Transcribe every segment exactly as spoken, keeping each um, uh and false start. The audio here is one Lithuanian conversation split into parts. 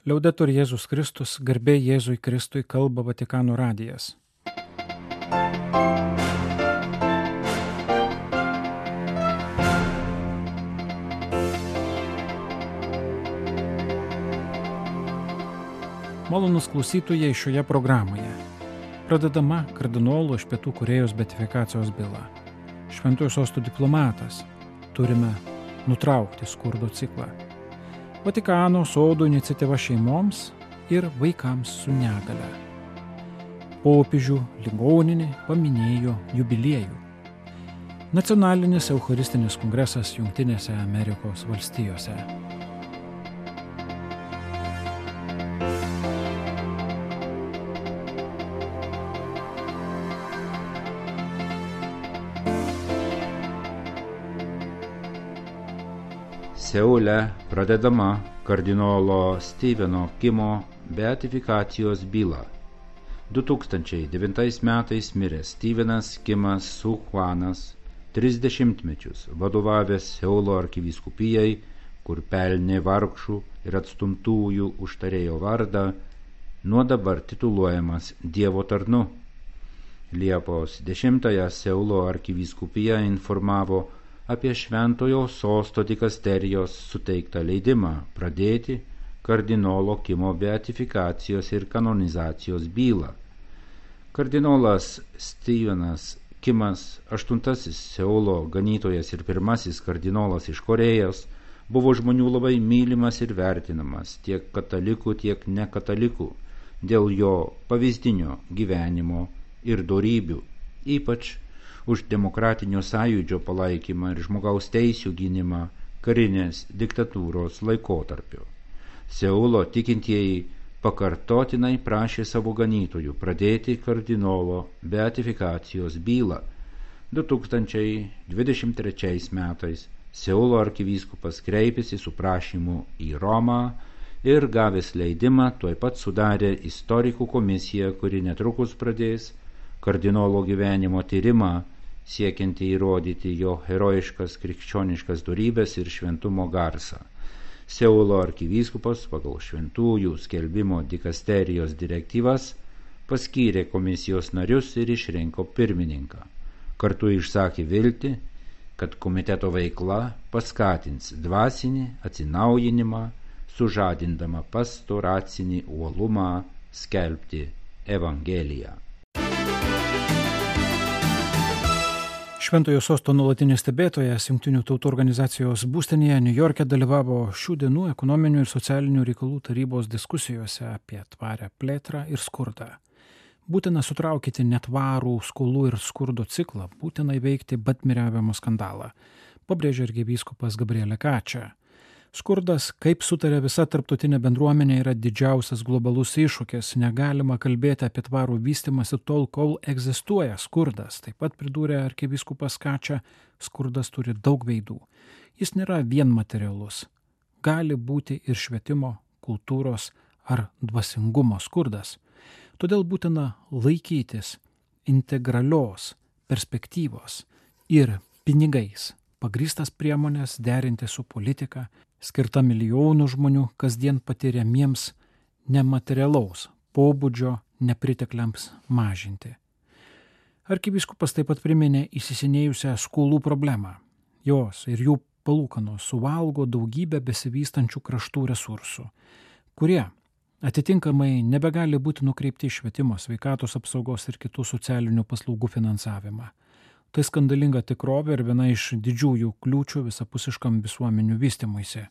Liaudetur Jėzus Kristus, garbė Jėzui Kristui, kalba Vatikano radijas. Malonūs klausytojai šioje programoje. Pradedama kardinolo iš Pietų Korėjos beatifikacijos byla. Šventojo sosto diplomatas. Turime nutraukti skurdo ciklą. Vatikano sodų iniciatyva šeimoms ir vaikams su negale. Popiežių ligoninė paminėjo jubiliejų. Nacionalinis eucharistinis kongresas Jungtinėse Amerikos valstijose. Seule pradedama kardinolo Steveno Kimo beatifikacijos byla. du tūkstančiai devintais metais miręs Stevenas Kimas Suhuanas, tris dešimtmečius vadovavęs Seulo arkivyskupijai, kur pelnė vargšų ir atstumtųjų užtarėjo vardą, nuo dabar tituluojamas Dievo tarnu. Liepos dešimtąją Seulo arkivyskupija informavo apie Šventojo sosto dikasterijos suteiktą leidimą pradėti kardinolo Kimo beatifikacijos ir kanonizacijos bylą. Kardinolas Stevenas Kimas, aštuntasis Seulo ganytojas ir pirmasis kardinolas iš Korėjos, buvo žmonių labai mylimas ir vertinamas tiek katalikų, tiek nekatalikų dėl jo pavyzdinio gyvenimo ir dorybių, ypač už demokratinio sąjūdžio palaikymą ir žmogaus teisių gynimą karinės diktatūros laikotarpiu. Seulo tikintieji pakartotinai prašė savo ganytojų pradėti kardinolo beatifikacijos bylą. du tūkstančiai dvidešimt trečiais metais Seulo arkivyskupas kreipėsi su prašymu į Romą ir gavęs leidimą tuoj pat sudarė istorikų komisiją, kuri netrukus pradės kardinolo gyvenimo tyrimą, siekianti įrodyti jo herojiškas krikščioniškas dorybes ir šventumo garsą. Seulo arkivyskupas pagal šventųjų skelbimo dikasterijos direktyvas paskyrė komisijos narius ir išrinko pirmininką. Kartu išsakė viltį, kad komiteto veikla paskatins dvasinį atsinaujinimą, sužadindama pastoracinį uolumą skelbti Evangeliją. Šventojo sosto nuolatinis stebėtojas Jungtinių tautų organizacijos būstinėje Niujorke dalyvavo šių dienų ekonominių ir socialinių reikalų tarybos diskusijose apie tvarią plėtrą ir skurdą. Būtina sutraukyti netvarų skolų ir skurdo ciklą, būtina įveikti batmiriavimo skandalą, pabrėžė arkivyskupas Gabriele Kačia. Skurdas, kaip sutarė visa tarptautinė bendruomenė, yra didžiausias globalus iššūkis. Negalima kalbėti apie tvarų vystymąsi tol, kol egzistuoja skurdas. Taip pat pridūrė arkivyskupas Kačia, skurdas turi daug veidų. Jis nėra vien materialus. Gali būti ir švietimo, kultūros ar dvasingumo skurdas. Todėl būtina laikytis integralios perspektyvos ir pinigais pagrįstas priemonės derinti su politika, skirta milijonų žmonių kasdien patiriamiems nematerialaus pobūdžio nepritekliams mažinti. Arkivyskupas taip pat priminė įsisenėjusią skolų problemą. Jos ir jų palūkanos suvalgo daugybę besivystančių kraštų resursų, kurie atitinkamai nebegali būti nukreipti į švietimo, sveikatos apsaugos ir kitų socialinių paslaugų finansavimą. Tai skandalinga tikrovė ir viena iš didžiųjų kliūčių visapusiškam visuomenių vystymuisi.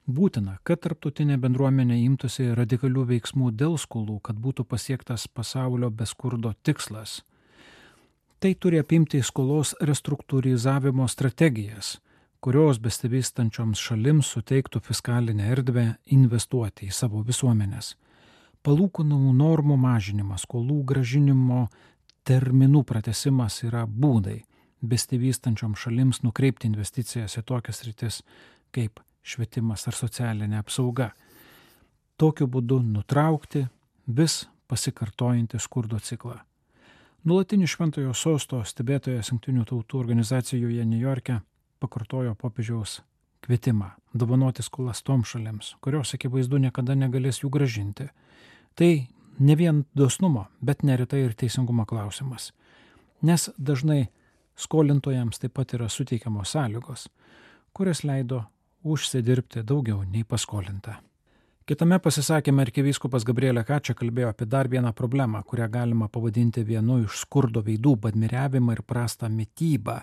Būtina, kad tarptautinė bendruomenė imtųsi radikalių veiksmų dėl skolų, kad būtų pasiektas pasaulio be skurdo tikslas. Tai turi apimti skolos restruktūrizavimo strategijas, kurios besivystančioms šalims suteiktų fiskalinę erdvę investuoti į savo visuomenės. Palūkanų normų mažinimas, skolų gražinimo terminų pratęsimas yra būdai besivystančioms šalims nukreipti investicijas į tokias sritis kaip švietimas ar socialinė apsauga. Tokiu būdu nutraukti vis pasikartojantį skurdo ciklą. Nuolatinis Šventojo sosto stebėtojas Jungtinių tautų organizacijoje Niujorke pakartojo popiežiaus kvietimą dovanoti skolas tom šalims, kurios akivaizdu niekada negalės jų gražinti. Tai ne vien dosnumo, bet neretai ir teisingumo klausimas. Nes dažnai skolintojams taip pat yra suteikiamos sąlygos, kurias leido užsidirbti daugiau nei paskolinta. Kitame pasisakyme arkivyskupas Gabrielė Kačia kalbėjo apie dar vieną problemą, kurią galima pavadinti vienu iš skurdo veidų – badmiriavimą ir prastą mitybą,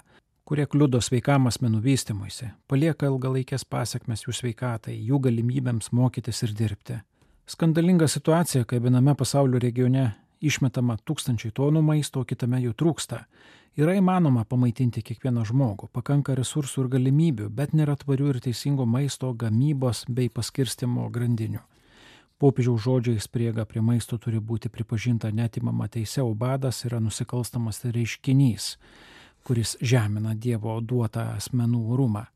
kurie kliudo sveikam asmenų vystymuisi, palieka ilgalaikės pasekmes jų sveikatai, jų galimybėms mokytis ir dirbti. Skandalinga situacija, kai viename pasaulio regione išmetama tūkstančiai tonų maisto, o kitame jų trūksta. Yra įmanoma pamaitinti kiekvieną žmogų, pakanka resursų ir galimybių, bet nėra tvarių ir teisingo maisto gamybos bei paskirstimo grandinių. Popiežiaus žodžiais prieiga prie maisto turi būti pripažinta neatimama teise, o badas yra nusikalstamas reiškinys, kuris žemina Dievo duotą asmenų orumą.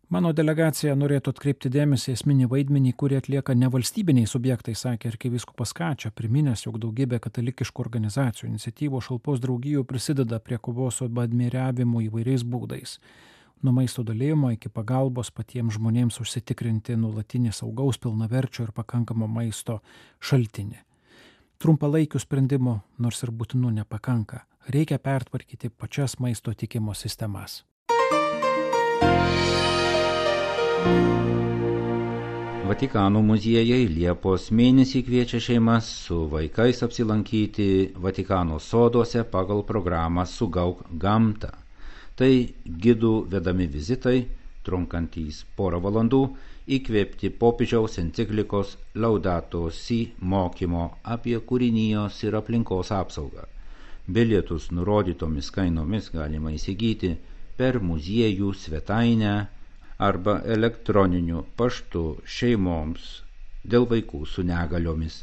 Mano delegacija norėtų atkreipti dėmesį esminį vaidmenį, kurį atlieka nevalstybiniai subjektai, sakė arkivyskupas Kačia, priminęs, jog daugybė katalikiškų organizacijų, iniciatyvų, šalpos draugijų prisideda prie kovos su badmiriavimu įvairiais būdais. Nuo maisto dalijimo iki pagalbos patiems žmonėms užsitikrinti nuolatinį saugaus, pilnaverčio ir pakankamo maisto šaltinį. Trumpalaikių sprendimų, nors ir būtinų, nepakanka. Reikia pertvarkyti pačias maisto tiekimo sistemas. Vatikano muziejai Liepos mėnesį kviečia šeimas su vaikais apsilankyti Vatikano soduose pagal programą Sugauk gamtą. Tai gidų vedami vizitai, trunkantys porą valandų, įkvėpti popiežiaus enciklikos Laudato Si mokymo apie kūrinijos ir aplinkos apsaugą. Bilietus nurodytomis kainomis galima įsigyti per muziejų svetainę arba elektroniniu paštu šeimoms dėl vaikų su negaliomis.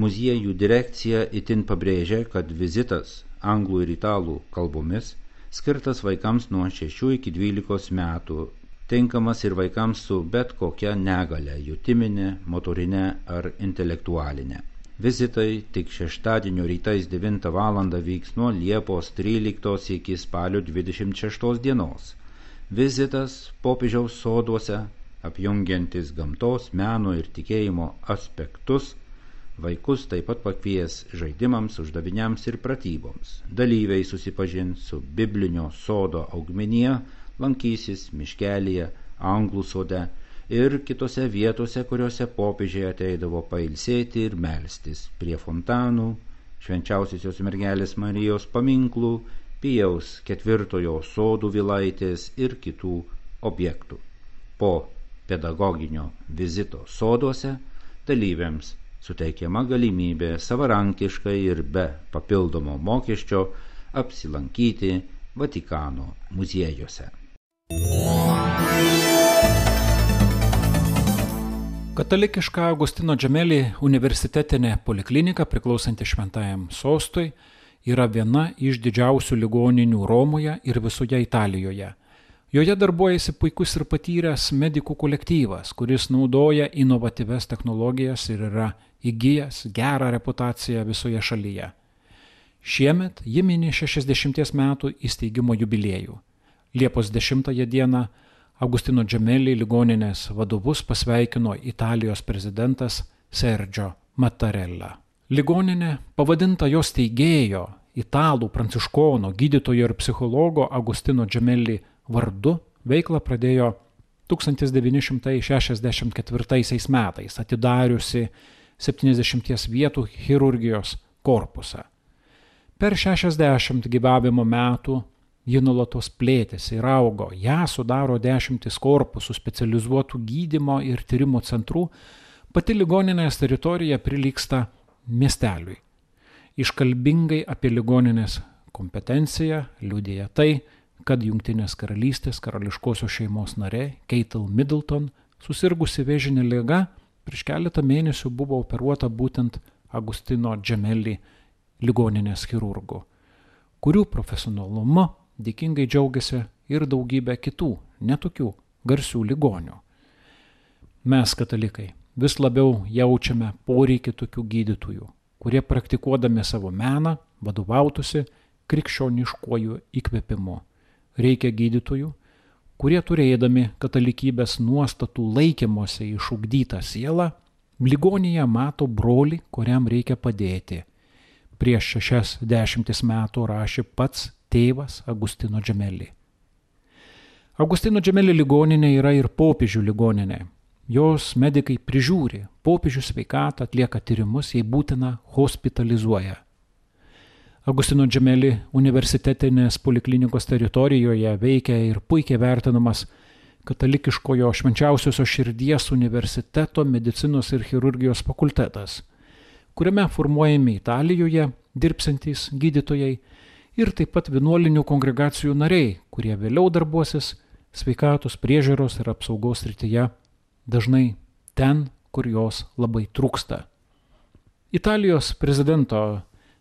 Muziejų direkcija itin pabrėžia, kad vizitas anglų ir italų kalbomis skirtas vaikams nuo šešių iki dvylikos metų, tinkamas ir vaikams su bet kokia negalia, jutiminė, motorinė ar intelektualinė. Vizitai tik šeštadienio rytais devintą valandą vyks nuo Liepos tryliktos iki spalio dvidešimt šeštos dienos. Vizitas popiežiaus soduose, apjungiantis gamtos, meno ir tikėjimo aspektus, vaikus taip pat pakvies žaidimams, uždaviniams ir pratyboms. Dalyviai susipažins su biblinio sodo augmenija, lankysis miškelyje, anglų sode ir kitose vietose, kuriuose popiežiai ateidavo pailsėti ir melstis prie fontanų, švenčiausiosios mergelės Marijos paminklų, Pijaus ketvirtojo sodų vilaitės ir kitų objektų. Po pedagoginio vizito soduose dalyviams suteikiama galimybė savarankiškai ir be papildomo mokesčio apsilankyti Vatikano muziejuose. Katalikiška Agustino Džemeli universitetinė poliklinika, priklausanti Šventajam sostui, yra viena iš didžiausių ligoninių Romoje ir visoje Italijoje. Joje darbuojasi puikus ir patyręs medikų kolektyvas, kuris naudoja inovatyvias technologijas ir yra įgijęs gerą reputaciją visoje šalyje. Šiemet ji mini šešiasdešimties metų įsteigimo jubiliejų. Liepos dešimtąją dieną Agustino Džemeli ligoninės vadovus pasveikino Italijos prezidentas Sergio Mattarella. Ligoninė, pavadinta jos steigėjo, italų pranciškono, gydytojo ir psichologo Agustino Džemeli vardu, veiklą pradėjo tūkstantis devyni šimtai šešiasdešimt ketvirtaisiais metais, atidariusi septyniasdešimties vietų chirurgijos korpusą. Per šešiasdešimt gyvavimo metų ji nuolatos plėtėsi ir augo. Ją sudaro dešimtis korpusų specializuotų gydymo ir tyrimo centrų. Pati ligoninės teritorija prilygsta miesteliui. Iškalbingai apie ligoninės kompetenciją liudija tai, kad Jungtinės karalystės karališkosios šeimos narė Kate Middleton, susirgusi vėžine liga, prieš keletą mėnesių buvo operuota būtent Agustino Džemeli ligoninės chirurgų, kurių profesionalumu dėkingai džiaugiasi ir daugybė kitų, netokių garsių ligonių. Mes, katalikai, vis labiau jaučiame poreikį tokių gydytojų, kurie praktikuodami savo meną vadovautųsi krikščioniškuoju įkvėpimu. Reikia gydytojų, kurie turėdami katalikybės nuostatų laikymosi išugdytą sielą, ligoninėje mato brolį, kuriam reikia padėti. Prieš šešias dešimtis metų rašė pats tėvas Agustino Džemeli. Agustino Džemeli ligoninė yra ir popiežių ligoninė. Jos medikai prižiūri, popiežių sveikatą, atlieka tyrimus, jei būtina, hospitalizuoja. Agustino Džemeli universitetinės poliklinikos teritorijoje veikia ir puikiai vertinamas katalikiškojo Švenčiausiosios širdies universiteto medicinos ir chirurgijos fakultetas, kuriame formuojami Italijoje dirbsantys gydytojai ir taip pat vienuolinių kongregacijų nariai, kurie vėliau darbuosis sveikatos priežiūros ir apsaugos srityje, dažnai ten, kur jos labai trūksta. Italijos prezidento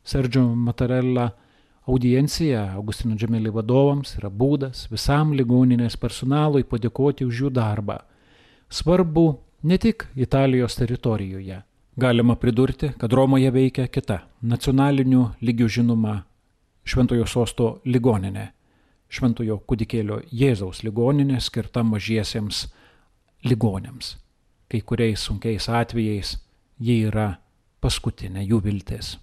Sergio Mattarella audiencija Agustino Džemeli vadovams yra būdas visam ligoninės personalui padėkoti už jų darbą. Svarbu ne tik Italijos teritorijoje. Galima pridurti, kad Romoje veikia kita nacionaliniu lygiu žinoma Šventojo Sosto ligoninė, Šventojo kūdikėlio Jėzaus ligoninė skirta mažiesiems ligoniams. Kai kuriais sunkiais atvejais ji yra paskutinė jų viltis.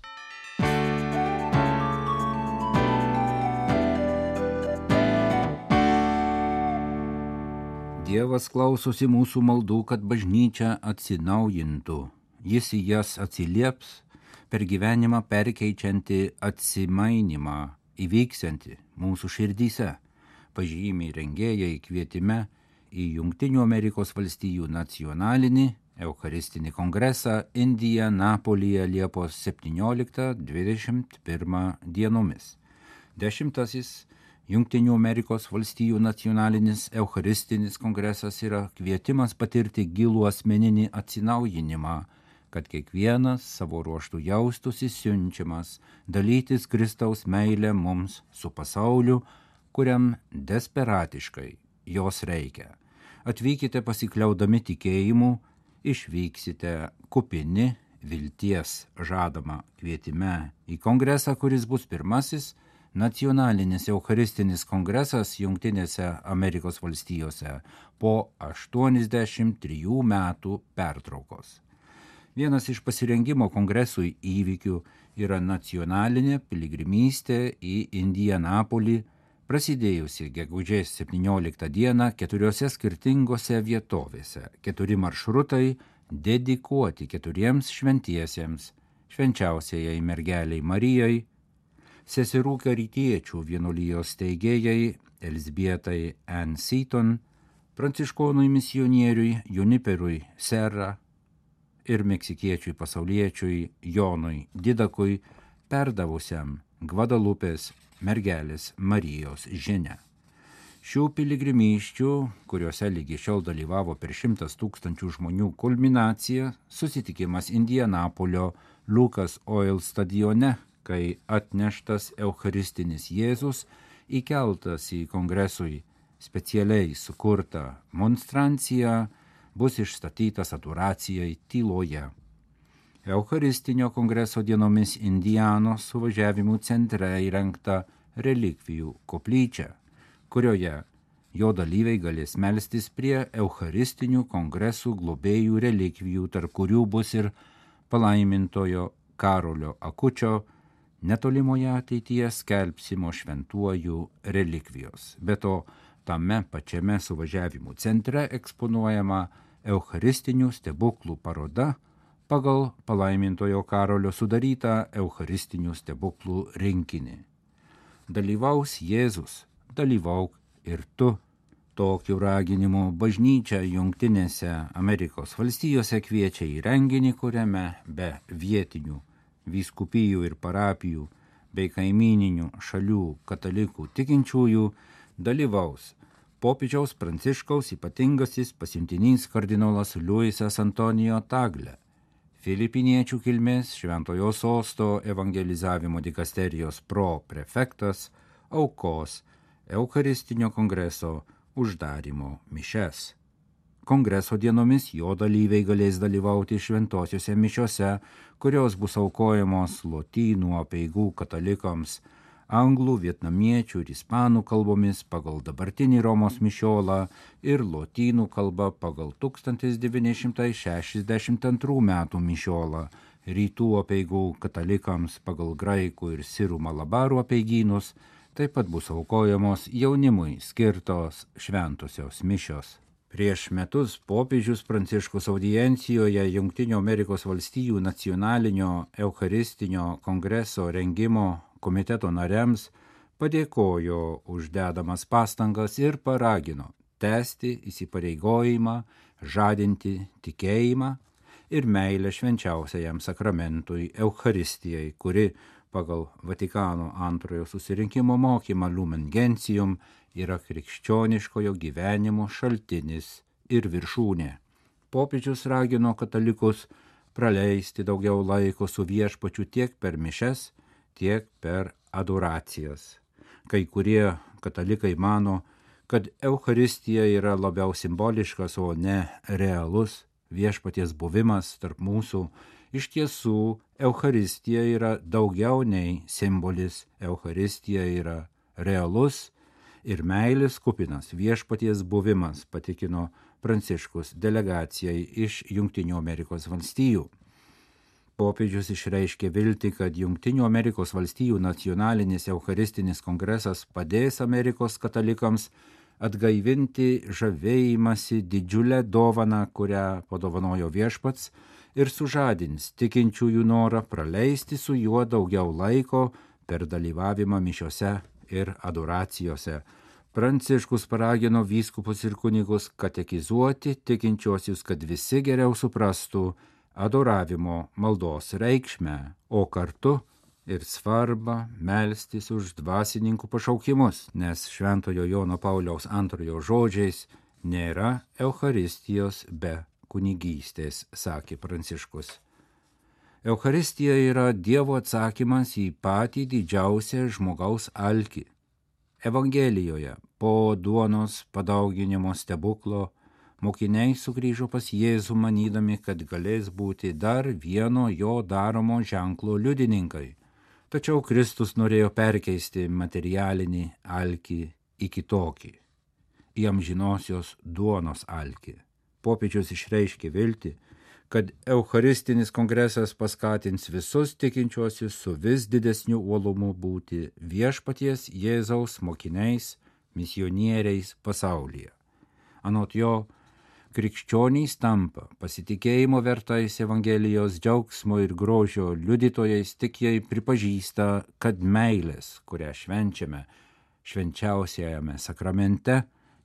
Dievas klausosi mūsų maldų, kad bažnyčia atsinaujintų. Jis į jas atsilieps per gyvenimą perkeičianti atsimainimą, įvyksianti mūsų širdyse, pažymiai rengėjai kvietime į Jungtinių Amerikos valstijų nacionalinį Eucharistinį kongresą Indianapolyje Liepos septynioliktą dvidešimt pirmą dienomis. Dešimtasis Jungtinių Amerikos valstijų nacionalinis Eucharistinis kongresas yra kvietimas patirti gilų asmeninį atsinaujinimą, kad kiekvienas savo ruožtų jaustųsi siunčiamas dalytis Kristaus meilę mums su pasauliu, kuriam desperatiškai jos reikia. Atvykite pasikliaudami tikėjimu, išvyksite kupini vilties žadama kvietime į kongresą, kuris bus pirmasis nacionalinis Eucharistinis kongresas Jungtinėse Amerikos valstijose po aštuoniasdešimt trijų metų pertraukos. Vienas iš pasirengimo kongresui įvykių yra nacionalinė piligrimystė į Indianapolį, prasidėjusi gegužės septynioliktą dieną keturiose skirtingose vietovėse. Keturi maršrutai dedikuoti keturiems šventiesiems, švenčiausiajai mergeliai Marijai, seserų karitiečių vienuolijos steigėjai Elzbietai Ann Seton, pranciškonui misionieriui Juniperui Serra ir meksikiečiui pasauliečiui Jonui Didakui, perdavusiam Gvadalupės mergelės Marijos žinią. Šių piligrimysčių, kuriuose lygi šiol dalyvavo per šimtas tūkstančių žmonių kulminacija, susitikimas Indianapolio Lucas Oil stadione, kai atneštas Eucharistinis Jėzus įkeltas į kongresui specialiai sukurtą monstranciją, bus išstatytas adoracijai tyloje. Eucharistinio kongreso dienomis Indianos suvažiavimų centre įrengta relikvijų koplyčia, kurioje jo dalyviai galės melstis prie Eucharistinių kongresų globėjų relikvijų, tarp kurių bus ir palaimintojo Karolio Akučio netolimoje ateityje skelbsimo šventuojų relikvijos. Be to, tame pačiame suvažiavimų centre eksponuojama Eucharistinių stebuklų paroda pagal palaimintojo Karolio sudarytą Eucharistinių stebuklų rinkinį. Dalyvaus Jėzus, dalyvauk ir tu. Tokiu raginimu bažnyčia Jungtinėse Amerikos valstijose kviečia į renginį, kuriame be vietinių vyskupijų ir parapijų bei kaimyninių šalių katalikų tikinčiųjų dalyvaus popiežiaus Pranciškaus ypatingasis pasiuntinys kardinolas Luisas Antonijo Tagle, filipiniečių kilmės Šventojo Sosto evangelizavimo dikasterijos proprefektas aukos Eucharistinio kongreso uždarymo mišias. Kongreso dienomis jo dalyviai galės dalyvauti šventosiuose mišiose, kurios bus aukojamos lotynų apeigų katalikams anglų, vietnamiečių ir ispanų kalbomis pagal dabartinį Romos mišiolą ir lotynų kalba pagal tūkstantis devyni šimtai šešiasdešimt antrų metų mišiolą, rytų apeigų katalikams pagal graikų ir sirų malabarų apeigynus, taip pat bus aukojamos jaunimui skirtos šventosios mišios. Prieš metus popiežius Pranciškus audiencijoje Jungtinių Amerikos valstijų nacionalinio eucharistinio kongreso rengimo komiteto nariams padėkojo už dedamas pastangas ir paragino tęsti įsipareigojimą, žadinti tikėjimą ir meilę švenčiausiajam sakramentui Eucharistijai, kuri pagal Vatikano antrojo susirinkimo mokymą Lumen Gentium yra krikščioniškojo gyvenimo šaltinis ir viršūnė. Popiežius ragino katalikus praleisti daugiau laiko su viešpačiu tiek per mišes, tiek per adoracijas. Kai kurie katalikai mano, kad Eucharistija yra labiau simboliškas, o ne realus viešpaties buvimas tarp mūsų. Iš tiesų, Eucharistija yra daugiau nei simbolis, Eucharistija yra realus ir meilės kupinas viešpaties buvimas, patikino Pranciškus delegacijai iš Jungtinių Amerikos valstijų. Popiežius išreiškė viltį, kad Jungtinių Amerikos valstijų nacionalinis eucharistinis kongresas padės Amerikos katalikams atgaivinti žavėjimąsi didžiulę dovaną, kurią padovanojo viešpats, ir sužadins tikinčiųjų norą praleisti su juo daugiau laiko per dalyvavimą mišiose ir adoracijose. Pranciškus paragino vyskupus ir kunigus katekizuoti tikinčiuosius, kad visi geriau suprastų adoravimo maldos reikšmę, o kartu ir svarbą melstis už dvasininkų pašaukimus, nes Šventojo Jono Pauliaus antrojo žodžiais nėra Eucharistijos be kunigystės, sakė Pranciškus. Eucharistija yra Dievo atsakymas į patį didžiausią žmogaus alkį. Evangelijoje po duonos padauginimo stebuklo mokiniai sugrįžo pas Jėzų manydami, kad galės būti dar vieno jo daromo ženklo liudininkai. Tačiau Kristus norėjo perkeisti materialinį alkį į kitokį, į amžinosios duonos alkį. Popiežius išreiškė viltį, kad Eucharistinis kongresas paskatins visus tikinčiuosius su vis didesniu uolumu būti viešpaties Jėzaus mokiniais, misionieriais pasaulyje. Anot jo, krikščionys tampa pasitikėjimo vertais Evangelijos džiaugsmo ir grožio liudytojais tik jei pripažįsta, kad meilės, kurią švenčiame švenčiausiajame sakramente,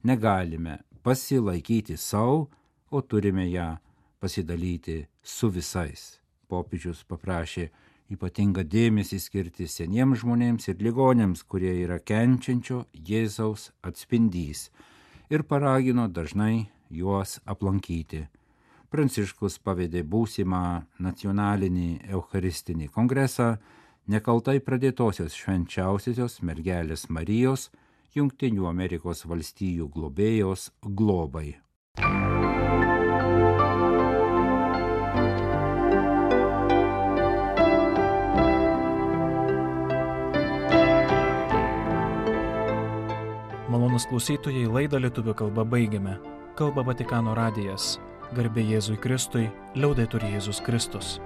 negalime pasilaikyti savo, o turime ją pasidalyti su visais. Popiežius paprašė ypatingą dėmesį skirti seniems žmonėms ir ligonėms, kurie yra kenčiančio Jėzaus atspindys, ir paragino dažnai juos aplankyti. Pranciškus pavedė būsimą nacionalinį eucharistinį kongresą nekaltai pradėtosios švenčiausiosios mergelės Marijos Jungtinių Amerikos valstijų globėjos globai. Malonūs klausytojai, laidą lietuvių kalba baigiame. Kalba Vatikano radijas. Garbė Jėzui Kristui, liaudetur Jėzus Kristus.